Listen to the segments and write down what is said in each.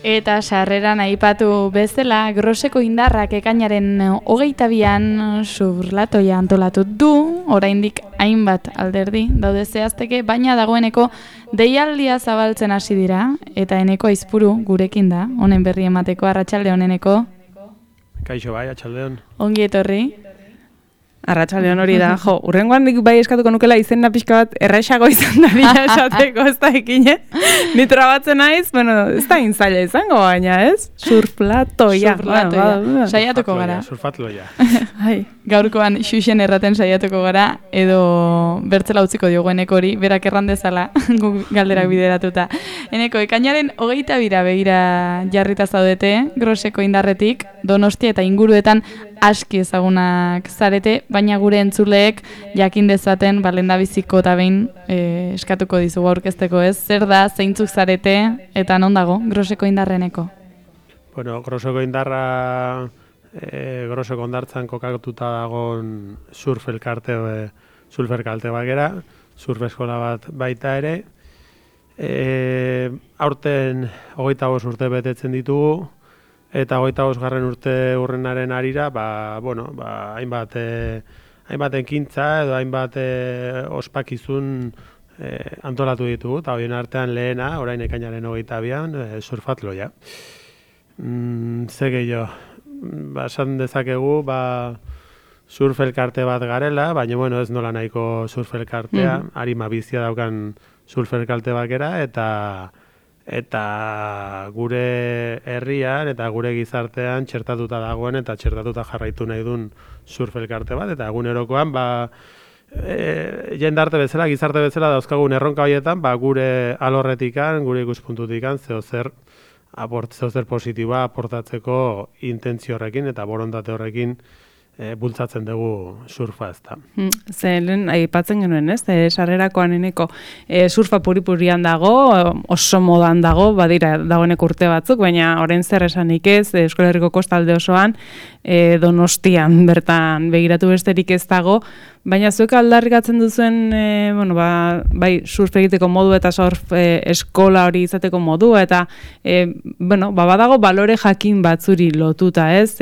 Eta sarreran aipatu bezala, Groseko Indarrak ekainaren 22an surlatoia antolatu du, oraindik hainbat alderdi daude zehazteke, baina dagoeneko deialdia zabaltzen hasi dira, eta Eneko Aizpuru gurekin da, honen berri emateko. Arratsaldeon Eneko. Kaixo bai, atxaldeon. Ongi etorri. Arratsaldeon hori da, jo, urrengoan nik bai eskatuko nukela izena pixka bat errexago izan daria esateko, ez da ekine. Ni trabatzen naiz, bueno, ez da intzaila izango baina, ez? Surflatoia. Saiatuko gara. Surfatloia. Gaurkoan xuxen erraten saiatuko gara, edo bertzela utziko diogu Enekori, berak erran dezala galderak bideratuta. Eneko, ekainaren 22ra begira jarrita zaudete, Groseko Indarretik, Donostia eta inguruetan aski ezagunak zarete, baina gure entzuleek jakin dezaten balendabiziko eta behin eskatuko dizugu aurkezteko, ez? Zer da, zeintzuk zarete eta non dago Groseko Indarreneko? Bueno, Groseko Indarra Groseko Hondartzan kokatuta dagoen surfelkarte bat gera, surf eskola bat baita ere. Aurten 25 urte betetzen ditugu, eta 25. urte urrenaren arira, hainbat ekintza edo hainbat ospakizun antolatu ditugu, eta horien artean lehena, orain ekainaren 22an, surfatloia. Ze gehiago, esan dezakegu, surf elkarte bat garela, baina bueno, ez nola nahiko surf elkartea, arima bizia daukan surf elkarte bat gera, eta gure herrian eta gure gizartean txertatuta dagoen eta txertatuta jarraitu nahi duen surf elkarte bat, eta egunerokoan jendarte bezala, gizarte bezala dauzkagun erronka horietan, gure alorretikan, gure ikuspuntutikan, zeozer positiboa aportatzeko intentzio horrekin eta borondate horrekin bultzatzen dugu surfa, ez da. Lehen aipatzen genuen, ez? Sarrerakoan Eneko surfa puripurian dago, oso modan dago, badira dagoeneko urte batzuk, baina orain zer esanik ez, Euskal Herriko kostalde osoan, Donostian bertan begiratu besterik ez dago, baina zuek aldarrikatzen duzuen, bai surf egiteko modu eta surf eskola hori izateko modu, eta badago balore jakin batzuri lotuta, ez?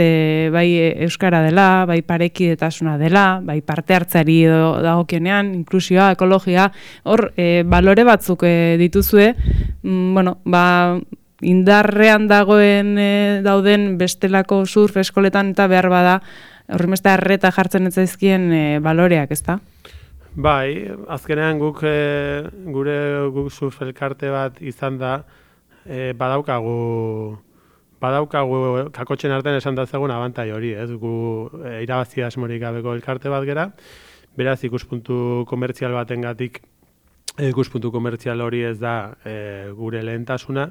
Bai euskara dela, bai parekidetasuna dela, bai parte hartzari dagokionean, inklusioa, ekologia, hor balore batzuk dituzue, indarrean dauden bestelako surf eskoletan eta behar bada, horrimeste arreta jartzen ez zaizkien baloreak, ez da? Bai, azkenean guk surf elkarte bat izan da, badaukagu kakotxen artean esan dazegun abantai hori, ez? Gu irabazi asmorik gabeko elkarte bat gera, beraz ikuspuntu komertzial batengatik, ikuspuntu komertzial hori ez da gure lehentasuna,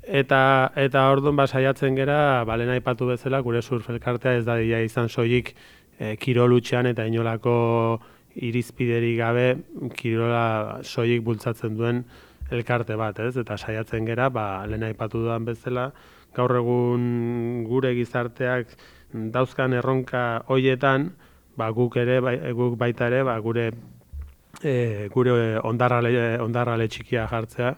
eta orduan saiatzen gera, lehen aipatu bezala, gure surf elkartea ez da izan soilik kirolutxean eta inolako irizpiderik gabe kirola soilik bultzatzen duen elkarte bat, ez? Eta saiatzen gera, lehen aipatu dudan bezala, gaur egun gure gizarteak dauzkan erronka hoietan, guk baita ere, gure ondarrale txikia jartzea,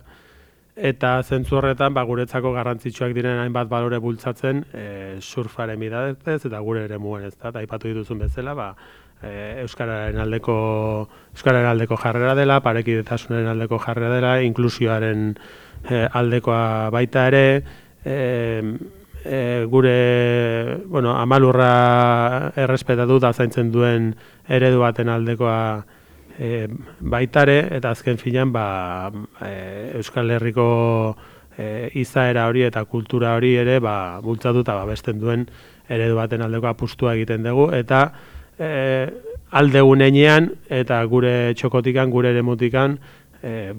eta zentzu horretan guretzako garrantzitsuak diren hainbat balore bultzatzen surfaren bitartez eta gure eremuen, ez da, eta aipatu dituzun bezala, euskararen aldeko jarrera dela, parekidetasunaren aldeko jarrera dela, inklusioaren aldekoa baita ere, gure amalurra errespetatu da zaintzen duen eredu baten aldekoa baitare, eta azken finean Euskal Herriko izaera hori eta kultura hori ere bultzatu eta babesten duen eredu baten aldeko apustua egiten dugu, eta aldegunean eta gure txokotikan, gure eremutikan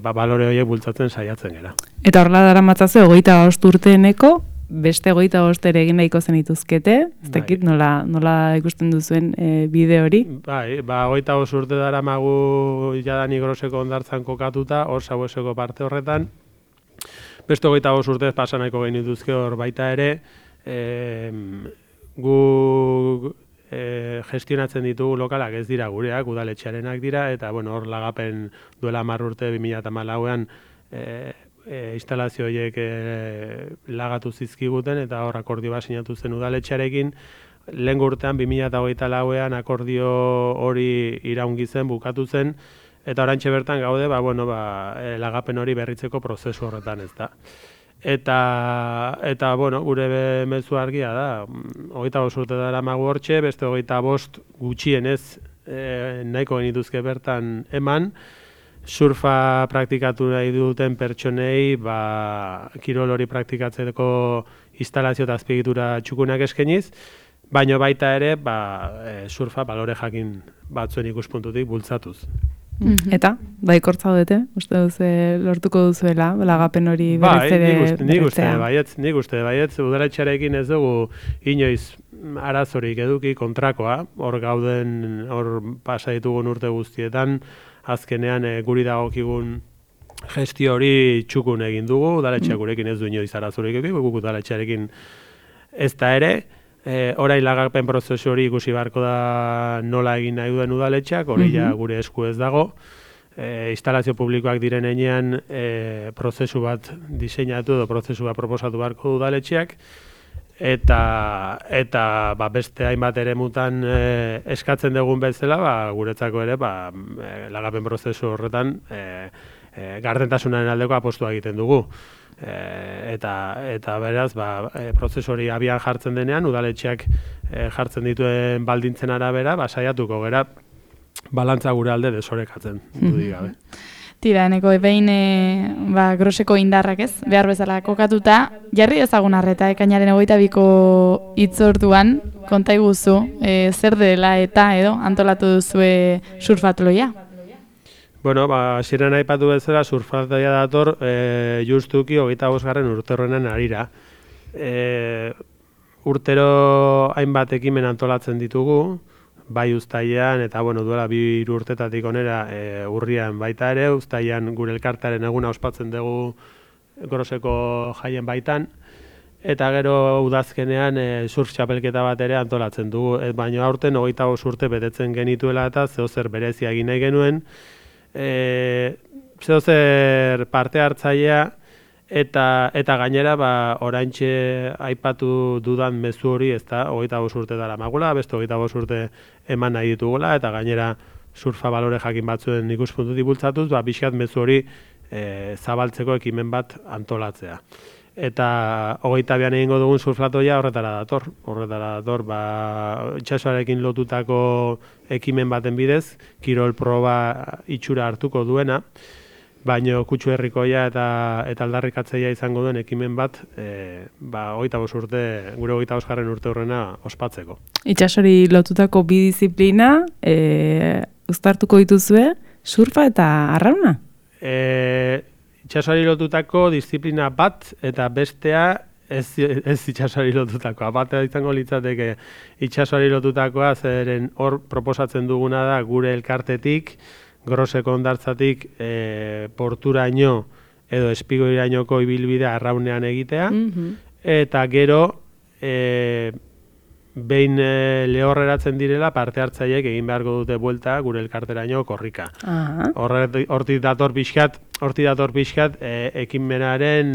balore horiek bultzatzen saiatzen gera. Eta horrela dara matzazu 25 urteeneko, beste 25 ere egin nahiko zenituzkete, ez dakit nola ikusten duzuen bide hori? Bai, 25 urte dara magu jadani Groseko Hondartzan kokatuta, hor Sabueseko parte horretan, beste 25 urtez pasa nahiko genituzke hor baita ere, gu gestionatzen ditugu lokalak ez dira gureak, udaletxearenak dira, eta hor lagapen duela 10 urte 2014an instalazio horiek lagatu zizkiguten, eta hor akordio bat sinatu zen udaletxearekin. Lehen urtean 2024ean akordio hori iraungi zen, bukatu zen, eta orantxe bertan gaude, lagapen hori berritzeko prozesu horretan, ez da. Eta gure mezu argia da, 25 urte dara magu hortxe, beste 25 gutxienez nahiko genituzke bertan eman, surfa praktikatu nahi duten pertsonei kirol hori praktikatzeko instalazio eta azpiegitura txukunak eskeniz, baino baita ere surfa balore jakin batzuen ikuspuntutik bultzatuz. Eta, baikortza dute, uste duzu lortuko duzuela, lagapen hori berriz ere Nik uste baietz, udaletxearekin ez dugu inoiz arazorik eduki kontrakoa, hor gauden, hor pasa ditugun urte guztietan, azkenean guri dagokigun gestio hori txukun egin dugu, udaletxeak gurekin ez du inoiz arazorik eduki, guk udaletxearekin ez da ere, orain lagapen prozesu hori ikusi beharko da nola egin nahi duen udaletxeak, hori ja gure esku ez dago. Instalazio publikoak diren heinean prozesu bat diseinatu edo prozesu bat proposatu beharko udaletxeak, eta beste hainbat eremutan eskatzen dugun bezala, guretzako ere lagapen prozesu horretan gardentasunaren aldeko apostua egiten dugu. Eta beraz, prozesu hori abian jartzen denean, udaletxeak jartzen dituen baldintzen arabera, saiatuko gera balantza gure alde desorekatzen, dudik gabe. Tira, eneko behin groseko indarrak ez, behar bezala kokatuta, jarri ezagun arreta, ekainaren 22ko hitzorduan, konta iguzu, zer dela eta edo antolatu duzue surfatloia? Bueno, hasieran aipatu bezala surfaltaia dator justuki 25. urterroenen harira. Urtero hainbat ekimen antolatzen ditugu, bai uztailean eta duela 2 urtetatik onera urrian baita ere, uztailean gure elkartearen eguna ospatzen dugu Groseko jaien baitan, eta gero udazkenean surf txapelketa bat ere antolatzen dugu, baina aurten 25 urte betetzen genituela eta zeozer berezia egin nahi genuen, zeozer parte hartzailea eta gainera oraintxe aipatu dudan mezu hori, ezta, 25 urte dara magula, beste 25 urte eman nahi ditugula, eta gainera surfa balore jakin batzuen ikuspuntutik bultzatuz, pixkat mezu hori zabaltzeko ekimen bat antolatzea. Eta 22an egingo dugun surflatoia horretara dator, itsasoarekin lotutako ekimen baten bidez, kirol proba itxura hartuko duena, baino kutsu herrikoia eta aldarrikatzeia izango duen ekimen bat, 25 urte, gure 25. urte horrena ospatzeko. Itsasori lotutako bi disiplina, uztartuko dituzue, surfa eta arrauna? Itsasoari lotutako disiplina bat eta bestea ez itsasoari lotutakoa. Bat izango litzateke itsasoari lotutakoa, zeren hor proposatzen duguna da gure elkartetik, Groseko hondartzatik porturaino edo espigoirainoko ibilbidea arraunean egitea, eta gero behin lehorreratzen direla parte hartzaileek egin beharko dute buelta gure elkarteraino korrika. Hortik dator pixkat ekimenaren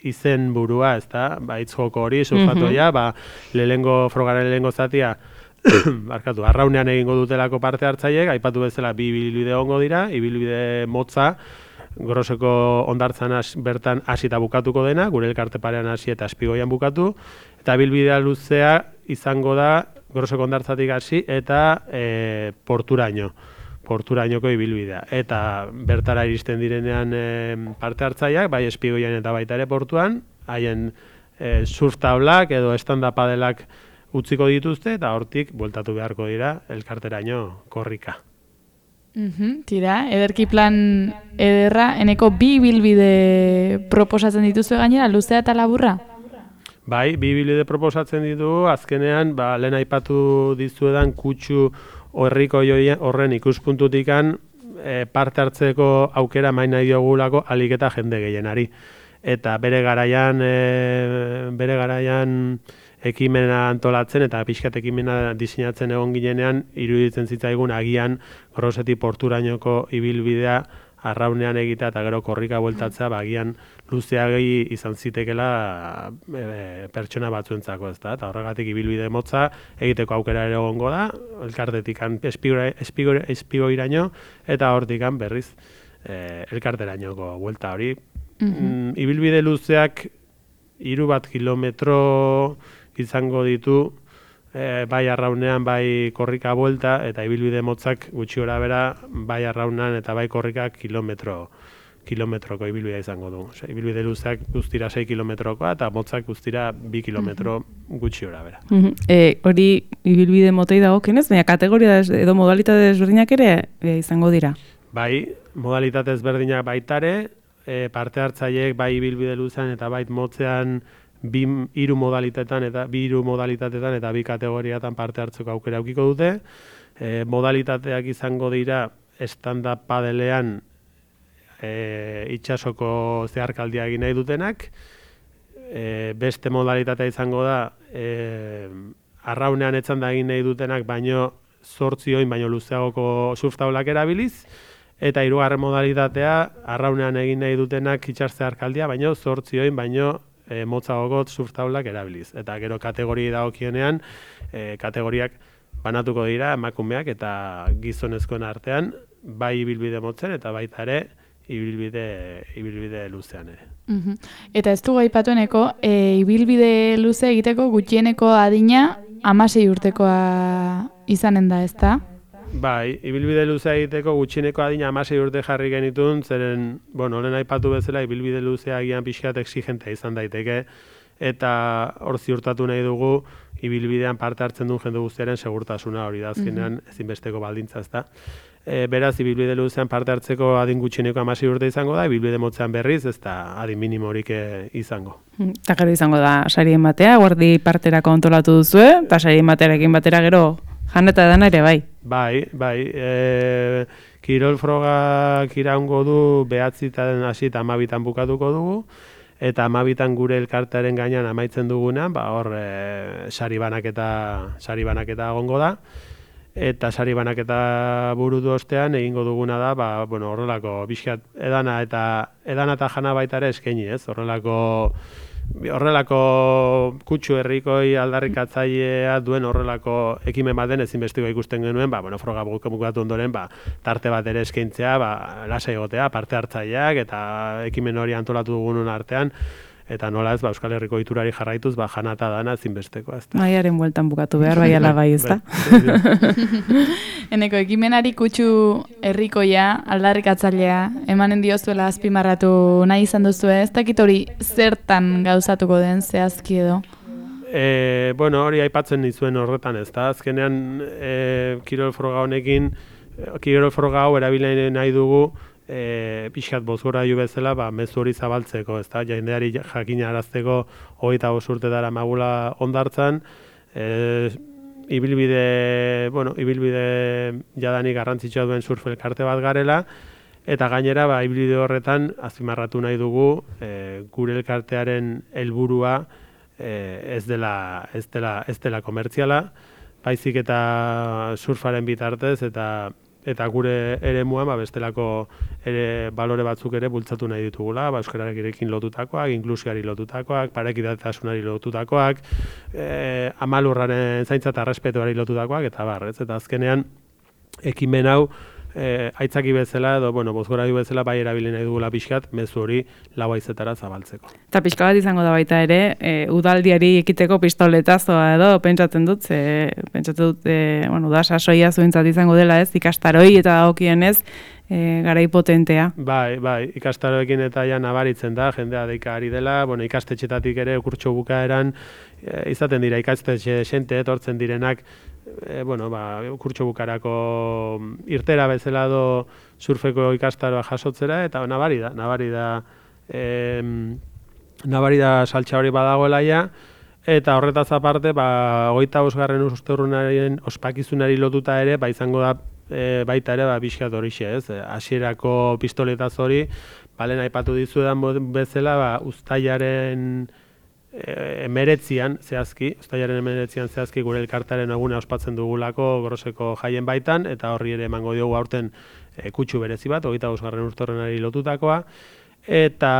izen burua, ezta? Hitz joko hori, surfatoia, frogaren lehengo zatia arraunean egingo dutelako parte hartzaileek, aipatu bezala 2 ibilbide egongo dira, ibilbide motza, Groseko hondartzan bertan hasi eta bukatuko dena, gure elkarte parean hasi eta espigoian bukatu, eta ibilbidea luzea izango da Groseko hondartzatik hasi eta porturainoko ibilbidea. Eta bertara iristen direnean parte hartzaileak, bai espigoian eta baita ere portuan, haien surf tablak edo stand-up padelak utziko dituzte, eta hortik bueltatu beharko dira elkarteraino korrika. Tira, ederki plan ederra, eneko 2 ibilbide proposatzen dituzue gainera, luzea eta laburra? Bai, 2 ibilbide proposatzen ditugu, azkenean, lehen aipatu dizuedan kutsu herriko horren ikuspuntutikan parte hartzeko aukera main nahi diogulako ahalik eta jende gehienari. Eta bere garaian ekimena antolatzen eta pixkat ekimena diseinatzen egon ginenean, iruditzen zitzaigun agian Grosetik porturainoko ibilbidea arraunean egitea eta gero korrika bueltatzea, agian luzeagi izan zitekela pertsona batzuentzako, ezta? Eta horregatik ibilbide motza egiteko aukera ere egongo da, elkartetik espigoiraino eta hortikan berriz elkarterainoko buelta hori. Ibilbide luzeak 3 kilometro izango ditu, bai arraunean, bai korrika buelta, eta ibilbide motzak gutxi gora bera, bai arraunean eta bai korrika kilometroko ibilbidea izango du. Ibilbide luzeak guztira 6 kilometrokoa eta motzak guztira 2 kilometro gutxi gora bera. Hori ibilbide motei dagokionez, baina kategoria edo modalitate desberdinak ere izango dira? Bai, modalitate ezberdinak baitare, parte hartzaileek bai ibilbide luzean eta bai motzean 2 modalitatetan eta 2 kategoriatan parte hartzeko aukera aukiko dute. Modalitateak izango dira stand-up padelean itsasoko zeharkaldia egin nahi dutenak. Beste modalitatea izango da arraunean etzanda egin nahi dutenak, baino 8 oin baino luzeagoko surftaulak erabiliz. Eta 3. modalitatea arraunean egin nahi dutenak itsas zeharkaldia, baino 8 oin baino motzagoko surftaulak erabiliz. Eta gero kategoriei dagokionean, kategoriak banatuko dira emakumeak eta gizonezkoen artean, bai ibilbide motzen eta baita ere ibilbide luzean ere. Eta ez dugu aipatueneko, ibilbide luze egiteko gutxieneko adina 16 urtekoa izanen da, ezta? Bai, ibilbide luzea egiteko gutxieneko adina 16 urte jarri genitun, zeren, lehen aipatu bezala, ibilbide luzea agian pixkat exigentea izan daiteke, eta hor ziurtatu nahi dugu, ibilbidean parte hartzen duen jende guztiaren segurtasuna hori da, azkenean ezinbesteko baldintza, ezta. Beraz, ibilbide luzean parte hartzeko adin gutxieneko 16 urte izango da, ibilbide motzean berriz, ez da adin minimorik izango. Eta gero izango da, sarien batea, guardi parterako antolatu duzue, eta sarien batearekin batera gero jan eta edana ere bai. Bai. Kirol frogak iraungo du 9 hasi eta 12 bukatuko dugu, eta 12 gure elkartearen gainean amaitzen dugunean, hor sari banaketa egongo da. Eta sari banaketa burutu ostean egingo duguna da, horrelako bizkat edana eta jana baita ere eskaini, ez? Horrelako kutsu herrikoi aldarrikatzailea duen horrelako ekimen baten ezinbesteko ikusten genuen, froga bukatu ondoren, tarte bat ere eskaintzea, lasai egotea, parte hartzaileak eta ekimen hori antolatu dugunun artean, eta nola ez, Euskal Herriko iturari jarraituz, jana eta dana ezinbesteko, ez da. Maiaren bueltan bukatu behar, bai ala bai, ez da. Eneko, ekimenari kutsu herrikoia, aldarrikatzailea, emanen diozuela azpimarratu nahi izan duzu, ez dakit hori zertan gauzatuko den zehazki edo? Hori aipatzen nizuen horretan, ez da. Azkenean, kirol froga honekin, kirol froga hau erabile nahi dugu, pixkat bozgora ju bezala, mezu hori zabaltzeko, ez da, jendeari jakinarazteko 25 urte dara magula ondartzan, ibilbide jadanik garrantzitsua duen surf elkarte bat garela, eta gainera, ibilbide horretan azpimarratu nahi dugu, gure elkartearen helburua ez dela komertziala, baizik eta surfaren bitartez, eta gure eremuan bestelako balore batzuk ere bultzatu nahi ditugula, euskararekin lotutakoak, inklusioari lotutakoak, parekidetasunari lotutakoak, amalurraren zaintza eta errespetuari lotutakoak, eta eta azkenean ekimen hau aitzaki bezala edo bozgorailu bezala bai erabili nahi dugula pixkat, mezu hori lau haizetara zabaltzeko. Eta pixka bat izango da baita ere, udaldiari ekiteko pistoletazoa edo, pentsatzen dut, da sasoia zuentzat izango dela ez, ikastaroi eta dagokienez, garai potentea. Bai, ikastaroekin eta ja nabaritzen da, jendea deika ari dela, ikastetxetatik ere kurtso bukaeran, izaten dira ikastetxe xente etortzen direnak, kurtso bukarako irtera bezala do surfeko ikastaroa jasotzera, eta nabari da saltxa hori badagoela ja, eta horretaz aparte, 25. urteurrenaren ospakizunari lotuta ere, izango da baita ere, bizkat horixe, ez? Hasierako pistoletaz hori, balen aipatu dizudan bezala, uztailaren emeretzian zehazki gure elkartaren eguna ospatzen dugulako Groseko jaien baitan, eta horri ere emango diogu aurten kutsu berezi bat, 25. urteurrenari lotutakoa, eta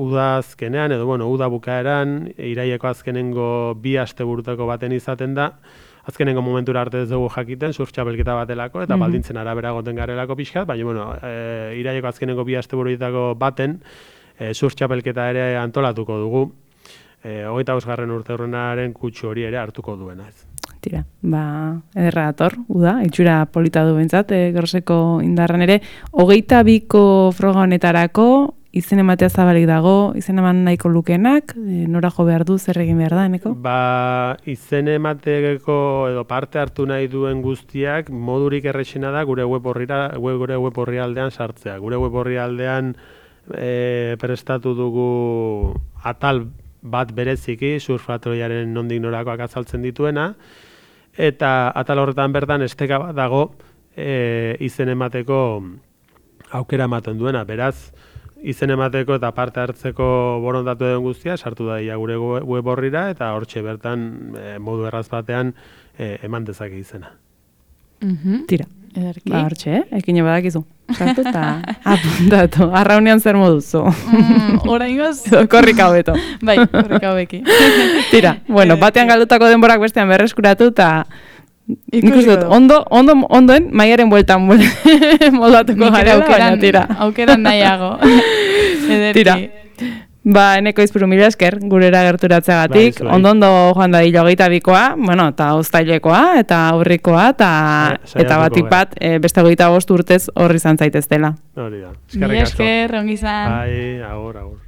udazkenean, edo uda bukaeran, iraileko azkenengo 2 asteburutako baten izaten da, azkenengo momentura arte ez dugu jakiten, surf txapelketa batelako, eta baldintzen arabera goten garelako pixkat, baina, iraileko azkenengo 2 asteburutako baten, surf txapelketa ere antolatuko dugu, 25. urteurrenaren kutsu hori ere hartuko duena ez. Tira, ederra dator, uda, itxura polita du bentsat, Groseko indarran ere, 22ko froga honetarako, izen ematea zabalik dago, izen eman nahiko lukenak, nora jo behar du, zer egin behar da, eneko? Izen emateko edo parte hartu nahi duen guztiak, modurik errexena da gure web orrialdean sartzea. Gure web orrialdean prestatu dugu atal bat bereziki, surfatroiaren nondik norakoak azaltzen dituena, eta atal horretan bertan esteka bat dago izen emateko aukera ematen duena. Beraz, izen emateko eta parte hartzeko borondatu den guztia, sartu da gure web orrira, eta hortxe bertan modu erraz batean eman dezake izena. Tira. Ederki. Hortxe, ekine badakizu. Sartu eta apuntatu. Arraunean zer moduzu. Oraingoz? Korrika hobeto. Bai, korrika hobeki. Tira, batean galdutako denborak bestean berreskuratu eta ikusi dut, ondoen maiaren bueltan moldatuko gara, baina tira. Aukeran nahiago. Ederki. Tira. Eneko izpuru mila esker, gurera gerturatzeagatik, ondo joan da hilo 22koa, eta oztailekoa, eta aurrikoa, eta batik bat, beste 25 urtez horri izan zaitez dela. Hori da. Mila esker, ongi izan. Bai, agur.